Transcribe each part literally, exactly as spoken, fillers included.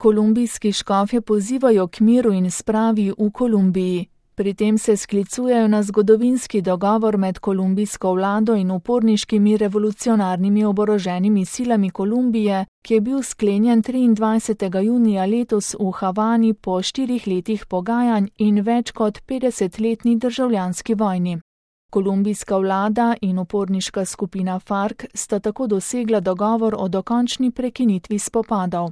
Kolumbijski škofje pozivajo k miru in spravi v Kolumbiji. Pri tem se sklicujejo na zgodovinski dogovor med kolumbijsko vlado in uporniškimi revolucionarnimi oboroženimi silami Kolumbije, ki je bil sklenjen triindvajsetega junija letos v Havani po štirih letih pogajanj in več kot petdesetletni državljanski vojni. Kolumbijska vlada in uporniška skupina FARC sta tako dosegla dogovor o dokončni prekinitvi spopadov.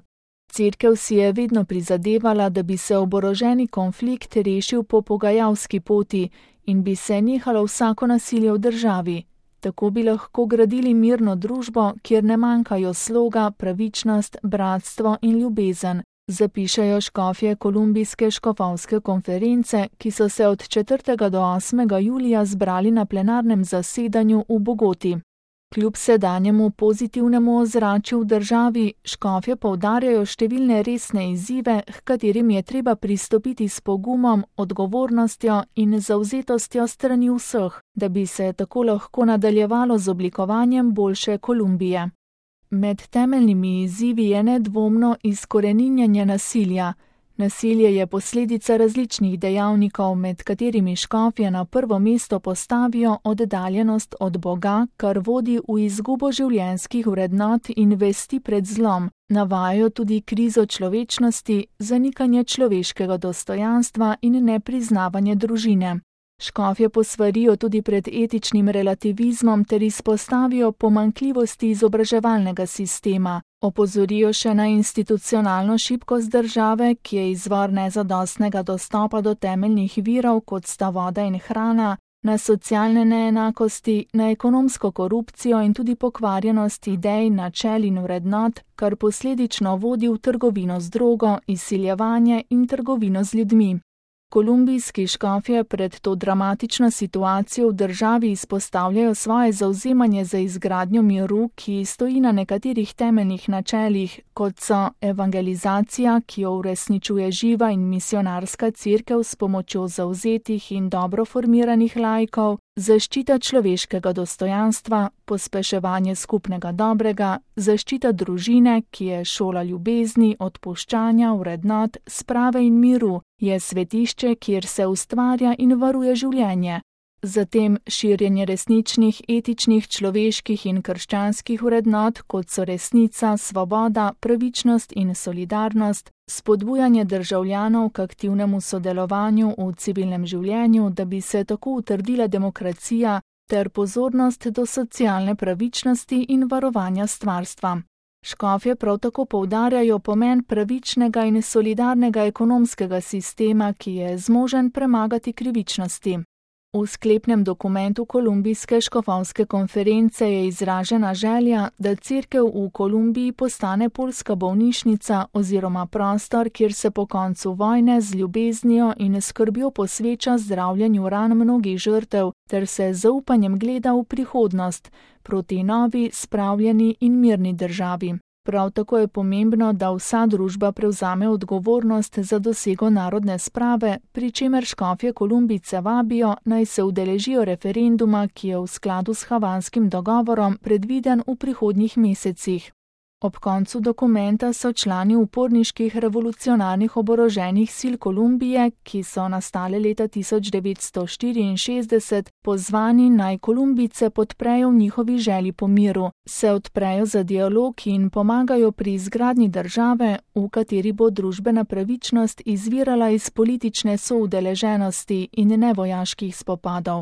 Cerkev si je vedno prizadevala, da bi se oboroženi konflikt rešil po pogajalski poti in bi se nehalo vsako nasilje v državi. Tako bi lahko gradili mirno družbo, kjer ne manjkajo sloga, pravičnost, bratstvo in ljubezen, zapišejo škofje Kolumbijske škofovske konference, ki so se od četrtega do osmega julija zbrali na plenarnem zasedanju v Bogoti. Kljub sedanjemu pozitivnemu ozračju v državi, škofje poudarjajo številne resne izzive, h katerim je treba pristopiti s pogumom, odgovornostjo in zavzetostjo strani vseh, da bi se tako lahko nadaljevalo z oblikovanjem boljše Kolumbije. Med temeljnimi izzivi je nedvomno izkoreninjanje nasilja. Nasilje je posledica različnih dejavnikov, med katerimi škofje na prvo mesto postavijo oddaljenost od Boga, kar vodi v izgubo življenjskih vrednot in vesti pred zlom. Navajajo tudi krizo človečnosti, zanikanje človeškega dostojanstva in nepriznavanje družine. Škofje posvarijo tudi pred etičnim relativizmom ter izpostavijo pomanjkljivosti izobraževalnega sistema. Opozorijo še na institucionalno šibkost države, ki je izvor nezadostnega dostopa do temeljnih virov, kot sta voda in hrana, na socialne neenakosti, na ekonomsko korupcijo in tudi pokvarjenost idej, načel in vrednot, kar posledično vodi v trgovino z drogo, izsiljevanje in trgovino z ljudmi. Kolumbijski škofje pred to dramatično situacijo v državi izpostavljajo svoje zavzemanje za izgradnjo miru, ki stoji na nekaterih temeljnih načelih, kot so evangelizacija, ki jo uresničuje živa in misionarska cerkev s pomočjo zavzetih in dobro formiranih laikov, zaščita človeškega dostojanstva, pospeševanje skupnega dobrega, zaščita družine, ki je šola ljubezni, odpuščanja, vrednot, sprave in miru, je svetišče, kjer se ustvarja in varuje življenje. Zatem širjenje resničnih, etičnih, človeških in krščanskih vrednot, kot so resnica, svoboda, pravičnost in solidarnost, spodbujanje državljanov k aktivnemu sodelovanju v civilnem življenju, da bi se tako utrdila demokracija, ter pozornost do socialne pravičnosti in varovanja stvarstva. Škofje prav tako poudarjajo pomen pravičnega in solidarnega ekonomskega sistema, ki je zmožen premagati krivičnosti. V sklepnem dokumentu Kolumbijske škofovske konference je izražena želja, da cerkev v Kolumbiji postane poljska bolnišnica oziroma prostor, kjer se po koncu vojne z ljubeznijo in skrbjo posveča zdravljenju ran mnogih žrtev, ter se z zaupanjem gleda v prihodnost, proti novi, spravljeni in mirni državi. Prav tako je pomembno, da vsa družba prevzame odgovornost za dosego narodne sprave, pri čemer škofje Kolumbijce vabijo, naj se udeležijo referenduma, ki je v skladu s havanskim dogovorom predviden v prihodnjih mesecih. Ob koncu dokumenta so člani uporniških revolucionarnih oboroženih sil Kolumbije, ki so nastale leta tisoč devetsto štiriinšestdeset, pozvani naj Kolumbijce podprejo v njihovi želji po miru, se odprejo za dialog in pomagajo pri izgradnji države, v kateri bo družbena pravičnost izvirala iz politične soudeleženosti in ne vojaških spopadov.